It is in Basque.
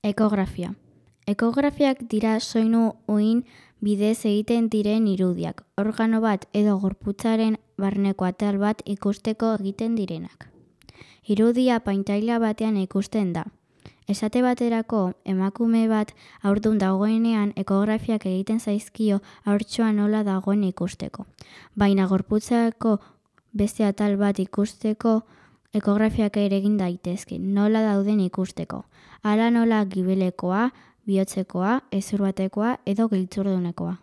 Ekografia. Ekografiak dira soinu uhin bidez egiten diren irudiak, organo bat edo gorputzaren barneko atal bat ikusteko egiten direnak. Irudia pantaila batean ikusten da. Esate baterako, emakume bat haurdun dagoenean ekografiak egiten zaizkio haurtxoa nola dagoen ikusteko. Baina gorputzako beste atal bat ikusteko ekografiak ere egin daitezke, nola dauden ikusteko. Hala nola gibelekoa, bihotzekoa, hezur batekoa edo giltzurdunekoa.